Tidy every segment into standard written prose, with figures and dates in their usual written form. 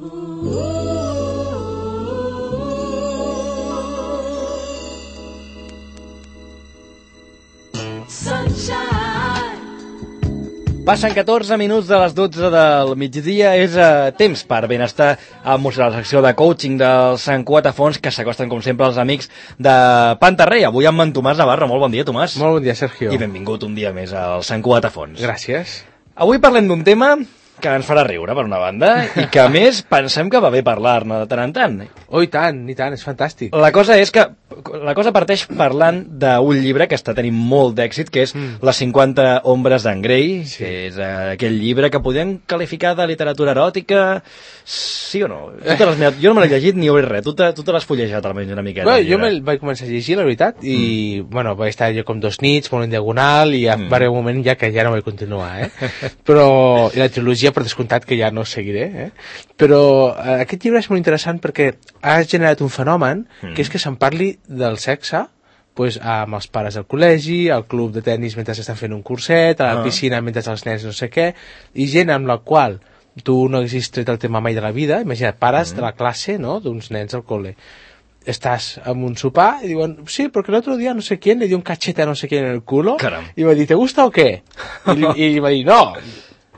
Passen 14 minuts de les 12 del migdia, és temps per benestar emocional, la secció de coaching del Sant Cugat a Fons, que s'acosten com sempre els amics de Pantarrey. Avui amb en Tomàs Navarro. Molt bon dia, Tomàs. Molt bon dia, Sergio. I benvingut un dia més al Sant Cugat a Fons. Gràcies. Avui parlem d'un tema que ens farà riure, per una banda, i que, a més, pensem que va bé parlar-ne de tant en tant. Oh, i tant, és fantàstic. La cosa parteix parlant d'un llibre que està tenint molt d'èxit, que és Les 50 ombres d'en Grey, sí. Que és aquell llibre que podem qualificar de literatura eròtica, sí o no? Jo no me l'he llegit ni he obrit res, tu te l'has fullejat almenys una miqueta. Bueno, jo me'l vaig començar a llegir, la veritat, i bueno, vaig estar jo com 2 nits, molt en diagonal, i va haver un moment ja que ja no vaig continuar, Però, i la trilogia per descomptat que ja no seguiré, Però aquest llibre és molt interessant perquè ha generat un fenomen que és que se'n parli del sexe pues, amb els pares al col·legi, al club de tennis mentre estan fent un curset, a la piscina mentre els nens no sé què, i gent amb la qual tu no haguessis tret el tema mai de la vida. Imagina't, pares de la classe, no?, d'uns nens al col·le. Estàs amb un sopar i diuen, sí, perquè l'altre dia no sé quién le dio un cachete a no sé quién en el culo. Caram. I va dir, ¿te gusta o qué? I va dir, no.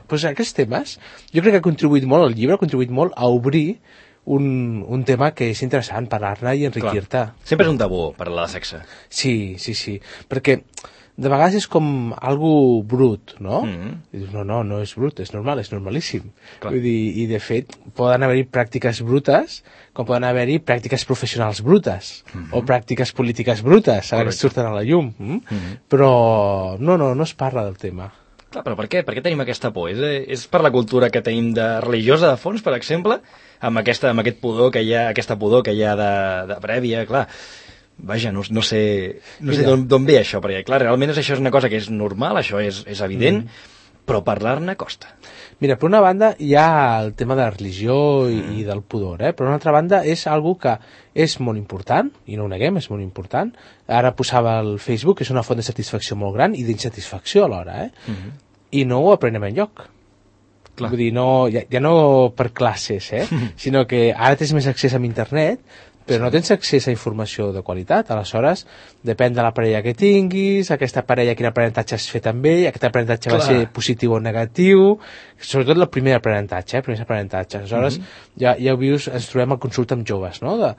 Pues aquests temes, jo crec que ha contribuït molt al llibre, ha contribuït molt a obrir un tema que és interessant, parlar-ne i enriquir-te. Sempre és un tabú parlar de sexe. Sí, perquè de vegades és com algo brut, no? I dius, no és brut, és normal, és normalíssim. Vull dir, i de fet poden haver-hi pràctiques brutes com poden haver-hi pràctiques professionals brutes o pràctiques polítiques brutes, ara que surten a la llum. Però no es parla del tema. Clar, però per què? Per què tenim aquesta por? És per la cultura que tenim de religiosa de fons, per exemple, amb aquest pudor que hi ha, aquesta pudor que hi ha de prèvia, clar. Vaja, no sé d'on ve això, perquè clar, realment això és una cosa que és normal, això és evident, però parlar-ne costa. Mira, per una banda hi ha el tema de la religió i del pudor, per una altra banda és algo que és molt important, i no ho neguem, és molt important. Ara posava al Facebook, és una font de satisfacció molt gran i d'insatisfacció alhora, i no ho aprenem enlloc. Clar. Vull dir, ja no per classes, sinó que ara tens més accés a internet, però no tens accés a informació de qualitat. Aleshores, depèn de la parella que tinguis, aquesta parella quin aprenentatge has fet amb ell, aquest aprenentatge va ser positiu o negatiu, sobretot el primer aprenentatge, Aleshores, ja ho vius, ens trobem a consulta amb joves, no?, de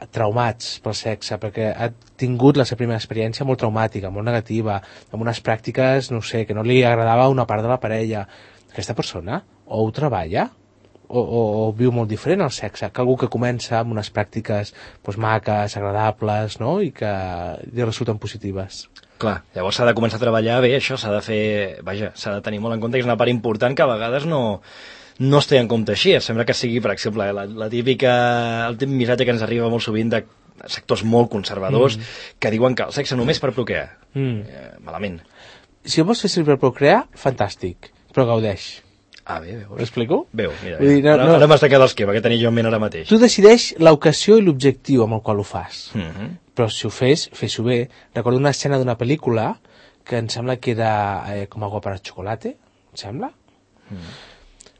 traumats pel sexe, perquè ha tingut la seva primera experiència molt traumàtica, molt negativa, amb unes pràctiques, no sé, que no li agradava a una part de la parella. Aquesta persona o ho treballa o viu molt diferent el sexe, que algú que comença amb unes pràctiques maques, agradables, no?, i que li resulten positives. Clar, llavors s'ha de començar a treballar bé, això s'ha de fer, s'ha de tenir molt en compte que és una part important que a vegades no es té en compte així. Sembla que sigui, per exemple, el típic missatge que ens arriba molt sovint de sectors molt conservadors que diuen que el sexe només per procrear. Malament. Si ho vols fer servir per procrear, fantàstic, però gaudeix. Bé, veus. Ho explico? Veu, mira, ara m'has tacat l'esquema que tenia jo en ment ara mateix. Tu decideix l'ocasió i l'objectiu amb el qual ho fas. Però si ho fes-ho bé. Recordo una escena d'una pel·lícula que em sembla que era com Agua para chocolate, em sembla?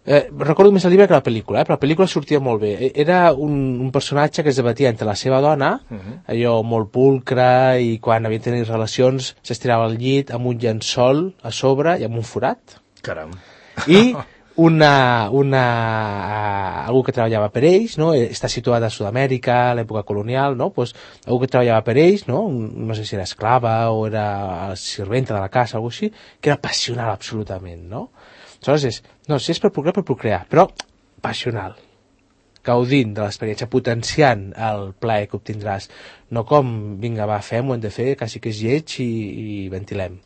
Recordo més el llibre que la pel·lícula, però la pel·lícula sortia molt bé. Era un personatge que es debatia entre la seva dona, allò molt pulcre, i quan havia de tenir relacions s'estirava al llit amb un llençol a sobre i amb un forat. Caram. I algú que treballava per ells, no? Està situat a Sud-amèrica, a l'època colonial, no? Pues, algú que treballava per ells, no? No sé si era esclava o era serventa de la casa, algú així, que era passional absolutament, no? Aleshores si és per procrear, però passional, gaudint de l'experiència, potenciant el plaer que obtindràs, no com, vinga, va, fem-ho, hem de fer, quasi que és lleig i ventilem.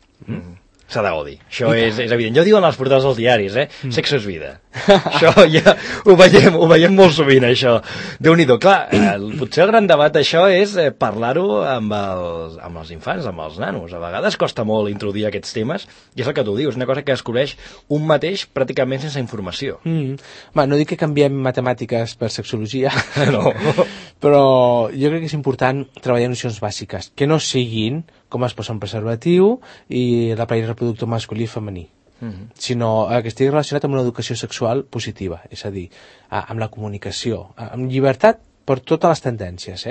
S'ha de gaudir, això és evident. Ja ho diuen els portals dels diaris, sexe és vida. Això ja ho veiem molt sovint, això. Déu-n'hi-do. Clar, potser el gran debat d'això és parlar-ho amb els infants, amb els nanos. A vegades costa molt introduir aquests temes, i és el que tu dius, una cosa que descobreix un mateix pràcticament sense informació. No dic que canviem matemàtiques per sexologia, no. Però jo crec que és important treballar nocions bàsiques, que no siguin com es posa un preservatiu i l'aparell reproductor masculí i femení. sinó que estigui relacionat amb una educació sexual positiva, és a dir, amb la comunicació, amb llibertat per totes les tendències,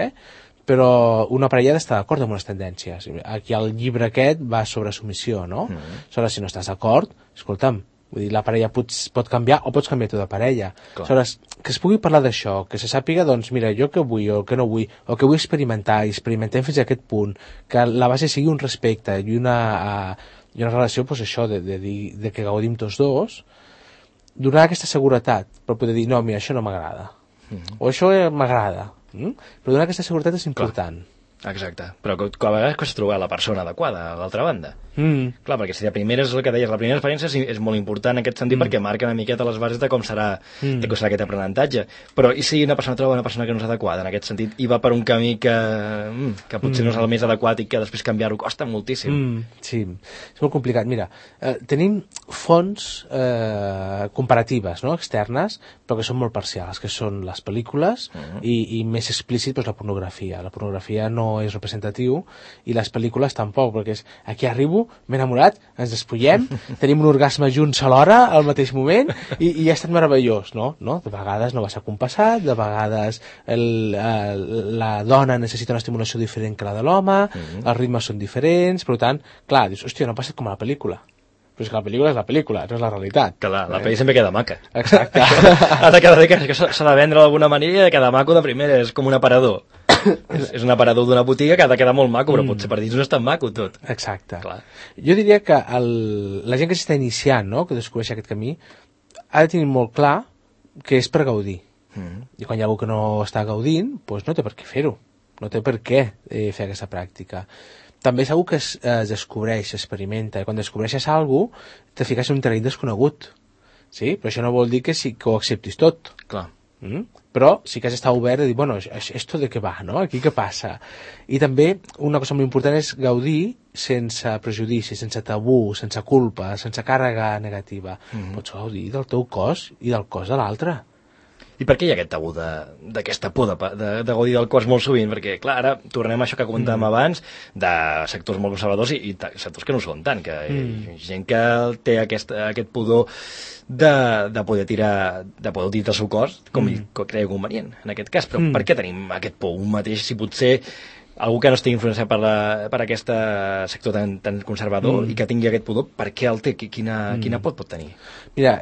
però una parella ha d'estar d'acord amb les tendències. Aquí el llibre aquest va sobre submissió, no? Aleshores, si no estàs d'acord, escolta'm, vull dir, la parella pot canviar o pots canviar tu de parella. Aleshores, que es pugui parlar d'això, que se sàpiga, doncs, mira, jo què vull o què no vull, o què vull experimentar, i experimentem fins a aquest punt, que la base sigui un respecte i una relació, doncs això, de que gaudim tots dos, donar aquesta seguretat per poder dir, no, mira, això no m'agrada, o això m'agrada, però donar aquesta seguretat és important. Exacte, però a vegades costa trobar la persona adequada a l'altra banda. Clar, perquè si de primera és el que deies, la primera experiència és molt important en aquest sentit perquè marca una miqueta les bases de com serà aquest aprenentatge. Però i si una persona troba una persona que no és adequada en aquest sentit i va per un camí que potser no és el més adequat i que després canviar-ho costa moltíssim. Sí, és molt complicat. Mira, tenim fonts comparatives, no?, externes, però que són molt parcials, que són les pel·lícules i més explícit doncs, la pornografia. La pornografia no és representatiu i les pel·lícules tampoc, perquè és aquí arribo, m'he enamorat, ens despullem, tenim un orgasme junts alhora al mateix moment i ha estat meravellós, no? De vegades no va ser compassat, de vegades la dona necessita una estimulació diferent que la de l'home, els ritmes són diferents, per tant, clar, dius, hòstia, no passa com a la pel·lícula. Però és que la pel·lícula és la pel·lícula, no és la realitat. Clar, la pel·li sempre queda maca. Exacte. Ha de quedar bé, que s'ha de vendre d'alguna manera i ha de quedar maco de primera, és com un aparador. És un aparador d'una botiga que ha de quedar molt maco, però potser per dins no és tan maco tot. Exacte. Clar. Jo diria que la gent que s'està iniciant, no?, que descobreix aquest camí, ha de tenir molt clar que és per gaudir. I quan hi ha algú que no està gaudint, doncs no té per què fer-ho. No té per què fer aquesta pràctica. També és algú que es descobreix, s'experimenta, i quan descobreixes alguna cosa, te fiques en un terreny desconegut. Sí? Però això no vol dir que ho acceptis tot. Clar. Però sí que has d'estar obert i dir, bueno, esto de què va, no? Aquí què passa? I també una cosa molt important és gaudir sense prejudici, sense tabú, sense culpa, sense càrrega negativa. Pots gaudir del teu cos i del cos de l'altre. I per què hi ha aquest tabú d'aquesta por de gaudir del cos molt sovint? Perquè, clar, ara tornem a això que comentàvem abans, de sectors molt conservadors i sectors que no són tant, que gent que té aquest pudor de poder utilitzar el seu cos com ell cregui convenient, en aquest cas. Però per què tenim aquest por un mateix, si potser algú que no estigui influenciat per aquest sector tan conservador i que tingui aquest pudor, per què el té? Quina por pot tenir? Mira,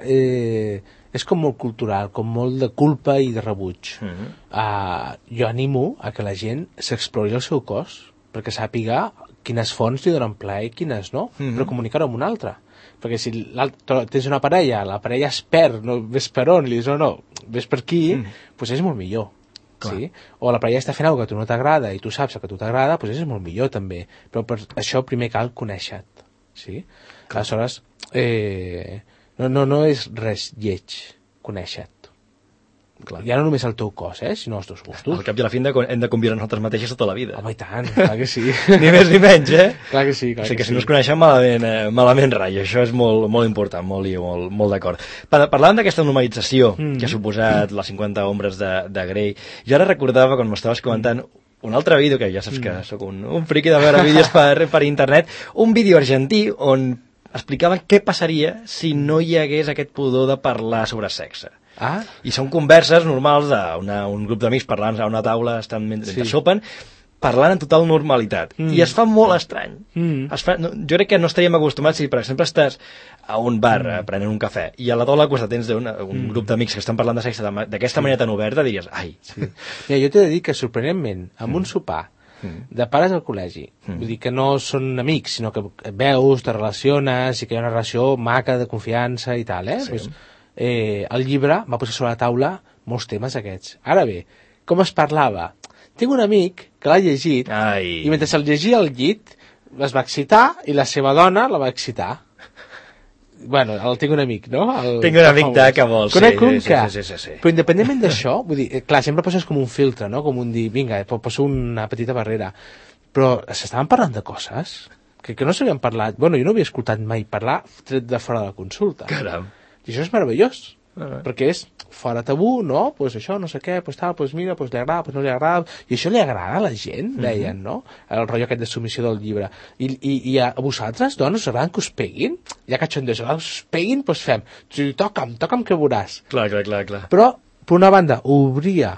és com molt cultural, com molt de culpa i de rebuig. Jo animo a que la gent s'explori el seu cos perquè sàpiga quines fonts li donen plaer i quines no, però comunicar-ho amb una altra. Perquè si tens una parella, la parella es perd, no ves per on, li dius, no, ves per aquí, doncs és molt millor. Sí? O la parella està fent alguna cosa que a tu no t'agrada i tu saps que a tu t'agrada, doncs és molt millor també. Però per això primer cal conèixer-te. Sí? Aleshores, no és res lleig conèixer-te. Ja no només el teu cos, sinó els teus gustos. Al cap i a la fi hem de conviure nosaltres mateixos tota la vida. Home, i tant, clar que sí. Ni més ni menys, Clar que sí, clar o sigui que si no es coneixem malament rai, això és molt important, molt d'acord. Parlant d'aquesta normalització que ha suposat les 50 ombres de Grey, jo ara recordava, quan m'estaves comentant, un altre vídeo, que ja saps que sóc un friqui de veure vídeos per internet, un vídeo argentí on explicaven què passaria si no hi hagués aquest pudor de parlar sobre sexe. I són converses normals d'un grup d'amics parlant a una taula, estan mentre sopen, parlant en total normalitat. I es fa molt estrany. Jo crec que no estaríem acostumats si, per exemple, estàs a un bar prenent un cafè i a la taula al costat tens un grup d'amics que estan parlant de sexe d'aquesta manera tan oberta, diries, ai. Mira, jo t'he de dir que, sorprenentment, amb un sopar de pares al col·legi, vull dir que no són amics, sinó que veus, te relaciones i que hi ha una relació maca de confiança i tal, el llibre va posar sobre la taula molts temes aquests. Ara bé, com es parlava? Tinc un amic que l'ha llegit i mentre se'l llegia al llit es va excitar i la seva dona la va excitar. Bueno, tinc un amic, no? Tinc un amic que vols. Conec un que... Però independentment d'això, vull dir, clar, sempre poses com un filtre, no? Com un dir, vinga, poso una petita barrera. Però s'estaven parlant de coses que no s'havien parlat. Bueno, jo no havia escoltat mai parlar tret de fora de la consulta. Caram. I això és meravellós. perquè és fora tabú, no? Pues això, no sé què, pues tal, pues mira, pues li agrada, pues no li agrada, i això li agrada a la gent, deien, no? El rotllo aquest de submissió del llibre. I a vosaltres, dones, us agraden que us peguin? Ja cachondeus, us peguin, pues fem, si toca'm que veuràs. Clar. Però, per una banda, obria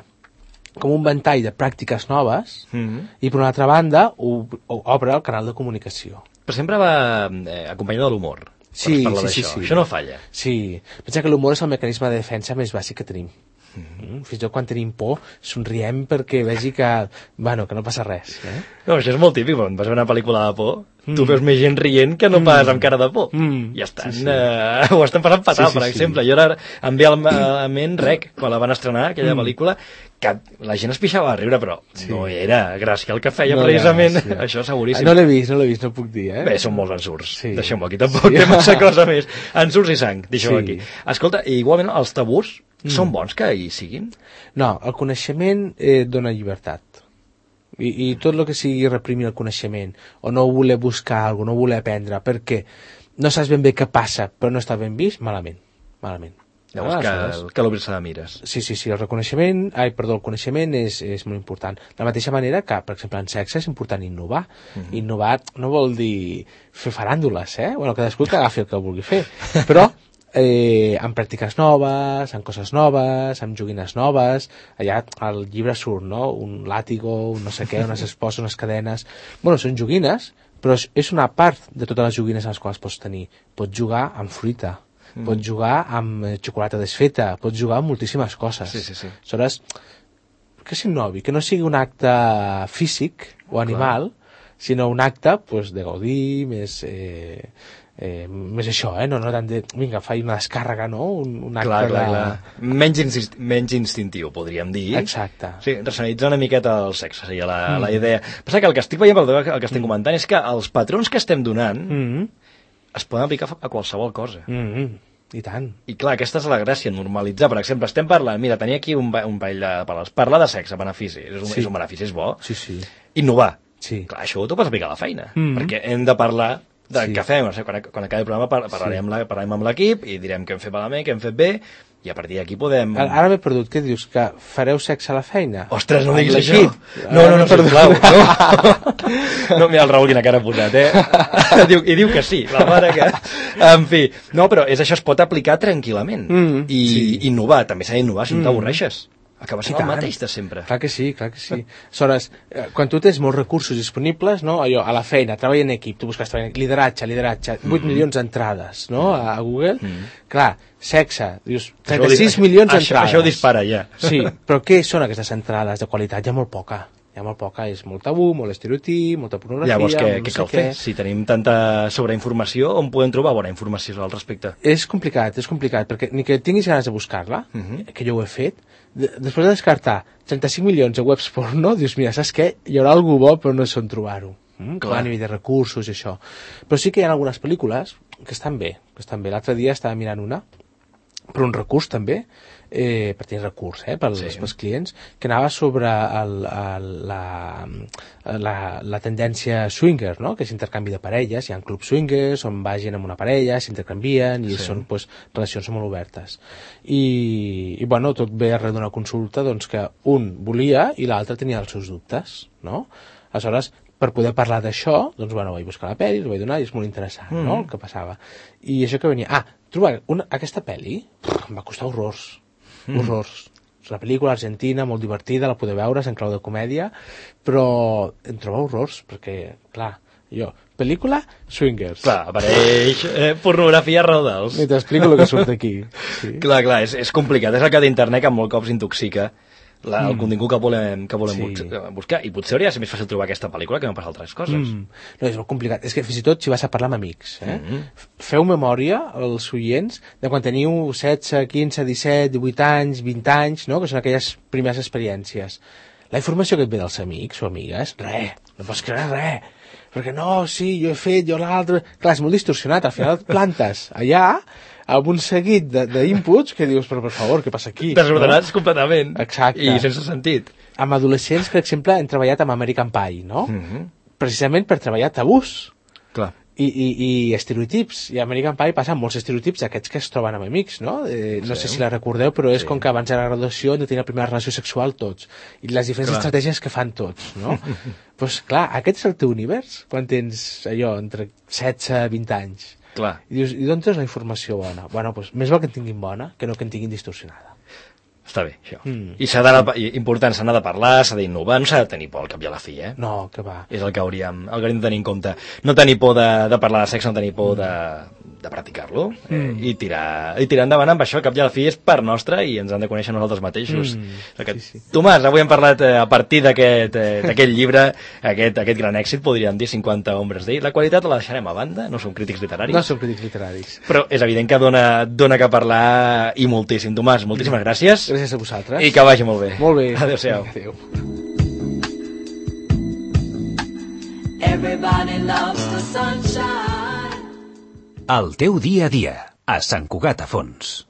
com un ventall de pràctiques noves i per una altra banda obre el canal de comunicació. Però sempre va acompanyat de l'humor. Sí. Això no falla. Sí, pensa que l'humor és el mecanisme de defensa més bàsic que tenim. Fins i tot quan tenim por somriem perquè vegi que no passa res. No, això és molt típic, quan vas a veure una pel·lícula de por, tu veus més gent rient que no pas amb cara de por. I estan, ho estan passant fatal, per exemple. Jo ara em ve a ment Rec, quan la van estrenar, aquella pel·lícula, que la gent es pixava a riure, però no era gràcia el que feia, precisament. Això seguríssim. No l'he vist, no puc dir, Bé, són molts ensurts. Deixem-ho aquí, tampoc té massa cosa més. Ensurts i sang, deixem-ho aquí. Escolta, igualment, els tabús són bons que hi siguin? No, el coneixement dona llibertat. I tot el que sigui reprimir el coneixement, o no voler buscar alguna cosa, no voler aprendre, perquè no saps ben bé què passa, però no està ben vist, malament. Llavors que l'obrir-se de mires. Sí, el coneixement és molt important. De la mateixa manera que, per exemple, en sexe és important innovar. Innovar no vol dir fer faràndules, Bueno, cadascú que agafi el que vulgui fer. Però amb pràctiques noves, amb coses noves, amb joguines noves. Allà al llibre surt, no? Un làtigo, un no sé què, unes esposes, unes cadenes. Bueno, són joguines, però és una part de totes les joguines a les quals pots tenir. Pots jugar amb fruita, pots jugar amb xocolata desfeta, pots jugar amb moltíssimes coses. Sí. Aleshores, que s'innovi, que no sigui un acte físic o animal, sinó un acte de gaudir, més això, no tant de, vinga, faig una descàrrega, no? Un acte clar. Menys instintiu, podríem dir. Exacte. Sí, racionalitzar una miqueta el sexe, seria la idea. Passa que el que estic veient, el que estem comentant, és que els patrons que estem donant es poden aplicar a qualsevol cosa. I tant. I clar, aquesta és la gràcia, normalitzar. Per exemple, estem parlant, mira, tenia aquí un parell de paraules. Parlar de sexe, benefici, és un benefici, és bo. Sí. Innovar. Sí. Clar, això t'ho pots aplicar a la feina, perquè hem de parlar del que fem. Quan acabi el programa parlarem amb l'equip i direm què hem fet malament, què hem fet bé, i a partir d'aquí podem... Ara m'he perdut, què dius? Que fareu sexe a la feina? Ostres, no diguis això! No, sisplau, no, mira el Raül quina cara ha posat, I diu que sí, la mare que... En fi, no, però això es pot aplicar tranquil·lament. I innovar, també s'ha d'innovar si no t'avorreixes. Acaba sent el mateix de sempre. Clar que sí. Aleshores, quan tu tens molts recursos disponibles, no? Allò, a la feina, treball en equip, tu busques lideratge, 8 milions d'entrades, no? A Google. Clar, sexe, dius, 36 milions d'entrades. Això ho dispara, ja. Sí, però què són aquestes entrades de qualitat? Hi ha molt poca, és molt tabú, molt estereotip, molta pornografia... Llavors, què cal fer? Si tenim tanta sobreinformació, on podem trobar bona informació al respecte? És complicat, perquè ni que tinguis ganes de buscar-la, que jo ho he fet, després de descartar 35 milions de webs porno, dius, mira, saps què? Hi haurà algú bo, però no sé on trobar-ho. Clar, a nivell de recursos i això. Però sí que hi ha algunes pel·lícules que estan bé. L'altre dia estava mirant una, per un recurs també, per tenir recurs pels clients, que anava sobre la tendència swinger, no? Que és intercanvi de parelles. Hi ha clubs swingers on vagin amb una parella, s'intercanvien i són relacions molt obertes. I bueno, tot ve arreu d'una consulta que un volia i l'altre tenia els seus dubtes, no? Aleshores, per poder parlar d'això, vaig buscar la pel·li, la vaig donar i és molt interessant, no?, el que passava. I això que venia... trobar aquesta pel·li em va costar horrors. És una pel·lícula argentina, molt divertida, la podeu veure, és en clau de comèdia, però em troba horrors, perquè, clar, pel·lícula swingers. Clar, apareix pornografia arreu dels. I t'explico el que surt aquí. Sí. Clar, és complicat, és el que d'internet que molt cops intoxica el contingut que volem buscar, i potser hauria de ser més fàcil trobar aquesta pel·lícula que no pas altres coses. No, és molt complicat, és que fins i tot si vas a parlar amb amics, feu memòria als oients de quan teniu 16, 15, 17, 18 anys, 20 anys, no? Que són aquelles primeres experiències. La informació que et ve dels amics o amigues, no pots creure res, perquè no, sí, jo he fet, jo l'altre... Clar, és molt distorsionat, al final et plantes allà amb un seguit d'inputs que dius, però per favor, què passa aquí? Desordenats completament. Exacte. I sense sentit. Amb adolescents, per exemple, hem treballat amb American Pie, no? Precisament per treballar tabús. Clar. I estereotips, i a American Pie passen molts estereotips d'aquests que es troben amb amics, no? No sé si la recordeu, però és com que abans de la graduació no tenir la primera relació sexual tots, i les diferents estratègies que fan tots, no? Doncs clar, aquest és el teu univers quan tens allò entre 16 i 20 anys. Clar. I dius, i d'on tens la informació bona? Bueno, doncs més val que en tinguin bona que no que en tinguin distorsionada. Està bé, això. I important, s'ha de parlar, s'ha d'innovar, no s'ha de tenir por al cap i a la fi, eh? No, que va. És el que hauríem de tenir en compte. No tenir por de parlar de sexe, no tenir por de practicar-lo, i tirar endavant amb això, cap i a la fi és part nostra i ens han de conèixer nosaltres mateixos. Sí. Tomàs, avui hem parlat a partir d'aquest llibre, aquest gran èxit, podríem dir 50 hombres d'ell. La qualitat la deixarem a banda, no som crítics literaris. No som crítics literaris. Però és evident que dona que parlar i moltíssim. Tomàs, moltíssimes gràcies. Gràcies a vosaltres. I que vagi molt bé. Molt bé. Adéu-siau. Adéu. Everybody loves the sunshine. El teu dia a dia, a Sant Cugat a Fons.